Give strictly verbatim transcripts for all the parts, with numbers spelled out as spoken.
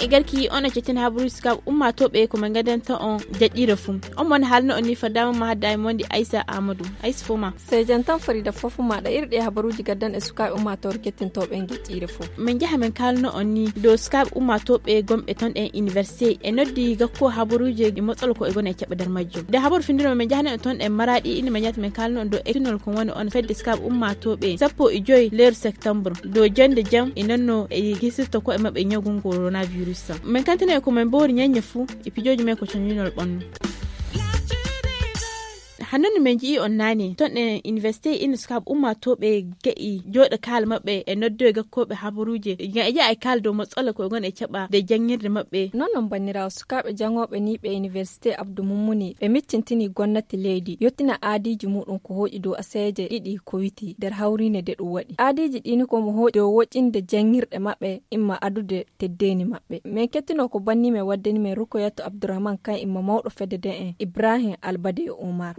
E garki on e cettin habaruuji sukaaɓe ummaatooɓe ko men gadanta on jaɗɗiire fuu. On mon haalno on ni faddaama ma hadda e mondi Aysa Amadou. Aysa fo ma. Sey jantan farida fofu maɗa iri ɗe habaruuji gaddan e sukaaɓe ummaatoore kettintooɓe e jaɗɗiire fuu. Men jaha men kaalno on ni dow sukaaɓe ummaatooɓe gomɓe ton e université e noddi gakko habaruuji e motsolo ko e gona e caɓɓe nder majjum. Nde habaru findino men jahane on ton e maraɗi ina men ñaata men kaalno on dow ektinol ko woni on fedde sukaaɓe ummaatooɓe sappo e joyi leeru septembre dow jande jam e nonno e hisirta ko e maɓɓe ñawgu coronavirus. Men kantine ko men mbowri ñaññe fuu e pijooji men ko cañinol ɓannu. Hannun men ji'i on naane ton e université ina sukaaɓe ummaatooɓe ga'i jooɗo kaala maɓɓe e noddoye gakkooɓe habaruuje ngam e jaha e kaala dow matsala ko e gon e caɓa de janngirde maɓɓe. Non non banniraawo sukaaɓe janngooɓe ni ɓe université abdou mummuni ɓe miccintini gonnati leydi yottina aadiiji muɗum ko hooƴi dow aseeje ɗiɗi ko witi nder hawriinde de ɗum waɗi aadiiji ɗini ko mo hooƴi dow woƴƴinde janngirɗe maɓɓe imma adude teddeni maɓɓe. Men kettino ko banni men waddani men Rukoyatu Abdourahmane kan imma mawɗo fedde den en Ibrahim Albade e Omar.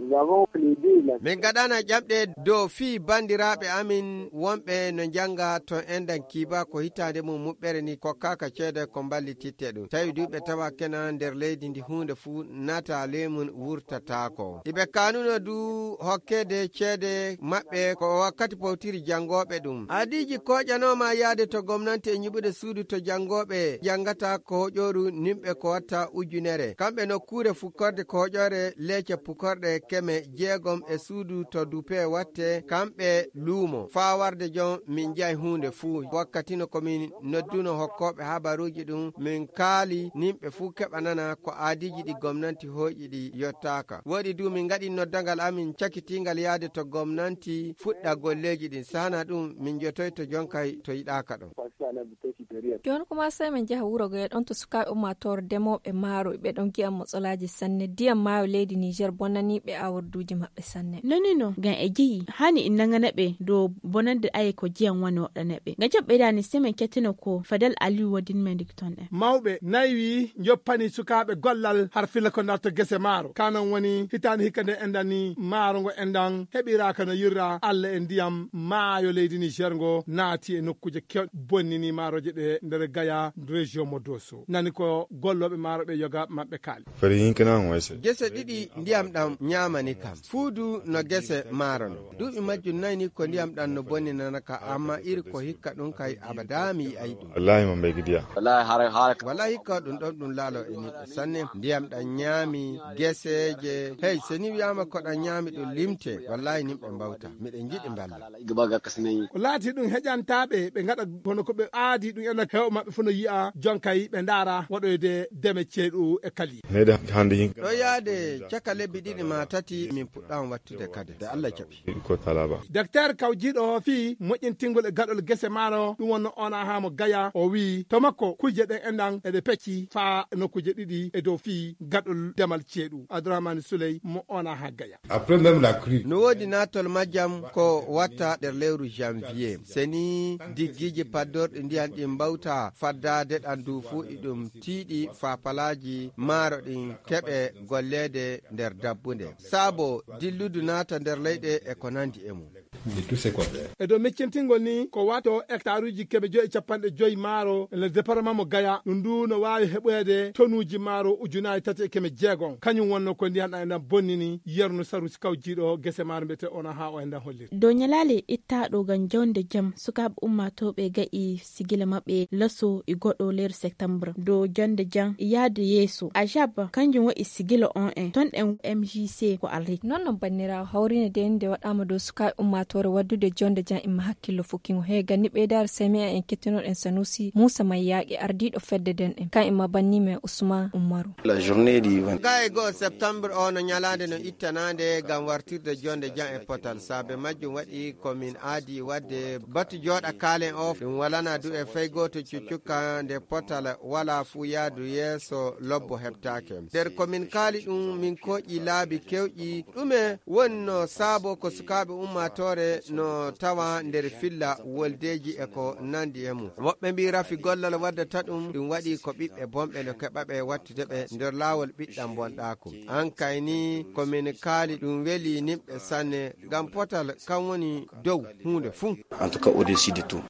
Min gaɗana ƴamɗe dow fii banndiraaɓe amin wonɓe no njannga ton endan kiiba ko hitaande mum muɓɓere ni kokkaaka ceede ko mballititte ɗum. Tawi du ɓe tawa kena nder leydi ndi huunde fuu nata leemun wurtataako. Iɓe kanuno du hokkede ceede maɓɓe ko wakkati powtiri janngooɓe ɗum. Aadiiji kooƴanooma yaade to gomnanti e nyiɓude suudu to janngooɓe janngata ko hoƴooru nimɓe ko watta ujunere. Kamɓe nokkuure fukkorde ko hoƴoore leece pukorɗe keme jeegom e suudu to dupe watte kamɓe luumo. Faa warde jon min njaay huunde fuu. Wakkati no ko min nodduno hokkooɓe habaruuji ɗum min kaali nimɓe fuu keɓa nana ko aadiiji ɗi gomnanti hooƴi ɗi yottaaka. Woɗi du min ngaɗi noddangal amin cakitiingal yaade to gomnanti fuɗɗa golleeji ɗin. Sahana ɗum min jotoyto jonkay to yiɗaaka ɗon. Jooni kuma sey min njaha wuro goye ɗon to sukaaɓe ummaatoore demooɓe maaro ɓe ɗon gi'a motsolaaji sanne ndiyam maayo leydi Niger bonaniiɓe aworduuji maɓɓe sanne. Noni no ngam e jeyi hani in nangana ɓe dow bonande aye ko jiyam woni waɗana ɓe ngam joɓɓe dani sey min kettino ko Fadel Aliou waddin men dikton ɗen. Mawɓe nayi wi njoppani sukaaɓe gollal har filla ko narta gese maaro kanon woni hitaande hikka nde enɗan ni maaro ngo enɗan heɓiraaka no yirra Allah e ndiyam maayo leydi Niger ngo naati e nokkuuje kewɗe bonnini maarooje ɗe nder Gaya région mo Doso nani ko gollooɓe maaro ɓe yoga maɓɓe kaali. Gese ɗiɗi ndiyam ɗam ñaamani kam fuu du no gese maaro no duuɓi majjum nayi ni ko ndiyam ɗam no bonninana ka amma iri ko hikka ɗum kay abada mi yi'ay ɗum. Wallahi hikka ɗum ɗon ɗum laalo e niɓɓe sanne ndiyam ɗam ñaami geseeje. Hey so ni wiyaama ko ɗam ñaami ɗum limte wallahi nimɓe mbawta miɗen njiɗi mballa. Ko laati ɗum heƴantaaɓe ɓe ngaɗa kono ko ɓe aadi ɗum ena heewa maɓɓe fof no yi'a jonkay ɓe ndaara waɗoyde deme ceeɗu e kali. Ɗo yaade caka lebbi ɗiɗi ma tati min puɗɗaama wattude kadi de Allah jaɓi. Docteur kawjiiɗo o fii moƴƴintingol e gaɗol gese maaro ɗum wonno ona haa mo Gaya o wii to makko kujje ɗen enɗan eɗe pecci faa nokkuje ɗiɗi e dow fii gaɗol demal ceeɗu Abdourahmane Souley mo ona haa Gaya. No woodi naatol majjam ko watta nder lewru janvier seni diggiiji paddorɗi ndiyan ɗin mbawta faddaade ɗan du fuu iɗum tiiɗi faa palaaji maaro ɗin keɓe golleede nder dabbunde saabo dilludu naata nder leyɗe e ko nandi e mum. E dow miccintingol ni ko wato hectaruuji keme joyi e capanɗe joyi maaro e nder département mo Gaya ɗum ndu no waawi heɓoyde tonuuji maaro ujunaaji tati e keme jeegom kañum wonno ko ndiyan ɗan e ndan bonnini yerno sarusi kawjiiɗo gese maaro mbiyete ona haa o e ndan holliri. Dow ñalaale ittaaɗo ngam jawnde jam sukaaɓe ummaatooɓe ga'i sigila maɓɓe laso e goɗo leeru septembre dow jonnde jam e yahde yeeso ajaba kanjum waɗi sigila on en ton ɗen mjc ko alrik. Non non banniraawo hawriinde de nde waɗaama dow sukaaɓe ummaatoore waɗdude jonnde jam imma hakkillo fukkingo he ganni ɓeydaare samiya en kettinoɗen sanusi muusa mayyaaqe ardiiɗo fedde den en kan imma banni men usman ummaru. Ga e goo septembre o no ñalaande no ittanaande ngam wartirde jonnde jam e potal saabe majjum waɗi ko min aadi waɗde batu jooɗa kaalen o ɗum walana du e fay gooto cuccukka nde potal wala fuu yaadu yeeso lobbo heɓtaake. Nder ko min kaali ɗum min kooƴi laabi kewƴi ɗume wonno saabo ko sukaaɓe ummaatoore no tawa nder filla woldeeji e ko nandi e mum woɓɓe mbi rafi gollal waddata ɗum ɗum waɗi ko ɓiɓɓe bonɓe no keɓa ɓe wattude ɓe nder laawol ɓiɗɗam bonɗaaku. An kay ni ko min kaali ɗum weli nimɓe sanne ngam potal kan woni dow huunde fuu. En tout cas au-dessus de tout.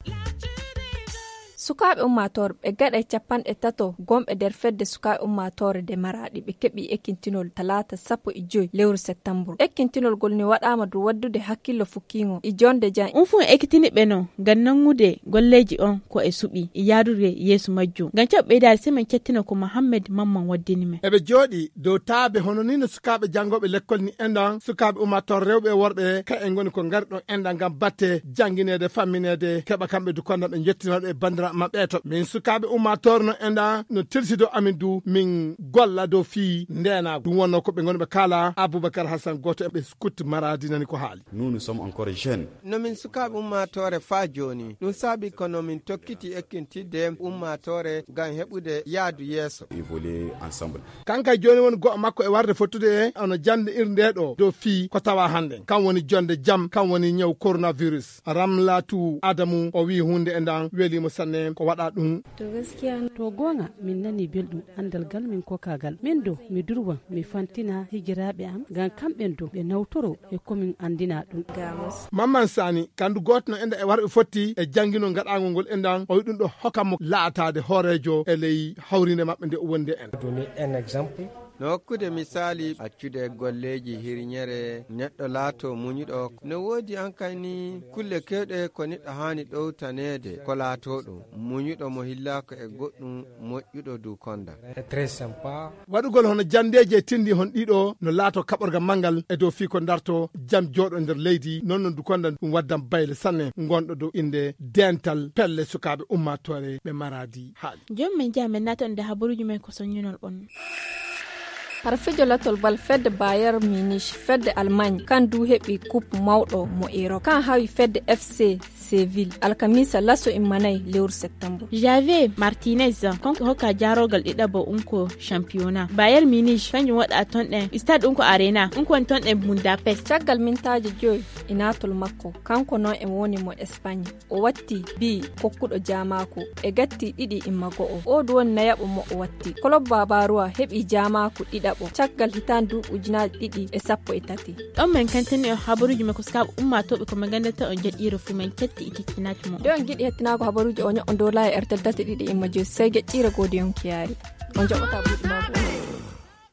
Sukaaɓe ummaatoore ɓe gaɗa e capanɗe tato gonɓe nder fedde sukaaɓe ummaatoore de maraaɗi ɓe keɓi ekkintinol talaata sappo e joy lewru septambur. Ekkintinol ngol ne waɗaama dow waɗdude hakkillo fukkiingo e jonde jan. Un fun ekkitini ɓe no ngam nanngude golleeji on ko e suɓi e yaadude yeeso majjum. Ngam caɓɓe ɓeydaade semaine cettina ko Mohammed Mamman waddini men. Eɓe jooɗi dow taabe hono ni no sukaaɓe janngooɓe lekkol ni enɗan, sukaaɓe ummaatoore rewɓe e worɓe, ka en ngoni ko ngari ɗon enɗan ngam batte janngineede, fammineede, keɓa kamɓe du konda ɓe njettinooɗo e banndiraaɓe maɓɓe e to. Min sukaaɓe ummaatoore no enɗan no tilsido amin du, min golla dow fii ndeenaagu. Ɗum wonnoo ko ɓe ngoni ɓe kaala Abubakar Hassan, gooto e ɓe scout Maradi nani ko haali. Nous, nous sommes encore jeunes. No min sukaaɓe ummaatoore faa jooni. Ɗum saabi ko no min tokkiti ekkintidde ummaatoore ngam heɓude yaadu yeeso. Évoluer ensemble. Kanka jooni woni go'o makko e warde fottude e ono jannde irnde ɗo dow fii ko tawa hannden. Kan woni jonde jam, kan woni ñaw coronavirus. Ramlatu Adamu, o wi'i huunde e ndan weliimo sanne ko waɗa ɗum. To gaskiya. To goonga, min nani belɗum anndal gal min kokagal. Min do, mi durwan, mi fantina hijiraaɓe am, ngam kamɓen do ɓe nawtoro e ko min anndina ɗum. Mamman Sani, kandu gooto no enda e warɓe fotti e jannginol ngaɗaangol ngol endan, o wi'i ɗum ɗo hokka mo laataade hooreejo e ley hawrinde maɓɓe nde o wondi en. Donner un exemple. No hokkude misaali, accude golleeji hirñere, neɗɗo laato muñuɗo. No woodi an kay ni kulle kewɗe ko neɗɗo haani ɗowtaneede, ko laato ɗum. Muñuɗo mo hillaako e goɗɗum, moƴƴuɗo du konda. Très sympa. Waɗugol hono janndeeji e tinndi hon ɗiɗo no laato kaɓorga manngal e dow fii ko darto jam jooɗo nder leydi, non non du konda ɗum waddan bayle sanne ngonɗo dow innde dental pelle sukaaɓe ummaatoore ɓe maraadi haali. Jooni min njaha min naata nder habaruuji men ko soññinol on. Har fijo latol bal fedde Bayern Munich, fedde Allemagne, kan du heɓi coupe mawɗo mo Europe, kan hawi fedde F C Seville, alkamisa laso immanay lewru septembre. Javier Martinez, kanko hokka jaaroogal ɗiɗaɓo unko championnat. Bayern Munich, kanjum waɗa ton ɗen stade unko Arena, unko woni ton ɗen Budapest. Caggal mintaaji joyi e naatol makko, kanko non e woni mo Espagne. O watti bi kokkuɗo jaamaaku e gatti ɗiɗi imma go'o. O du woni nayaɓo mo o watti. Club Bavarois heɓi jaamaaku ɗiɗaɓo caggal hitaande duuɓi ujunaaji ɗiɗi e sappo e tati. Ɗon min kantini on habaruuji men ko sukaaɓe ummaatooɓe ko min nganndata on jaɗɗiire fuu min cetti e kettinaaki mo. Nde on ngiɗi hettinaago habaruuji o ño'on dow laayi e R T L date ɗiɗi imma joyi sey geɗɗiire goodi yonkiyaari. On jaɓɓata buuɗi maago.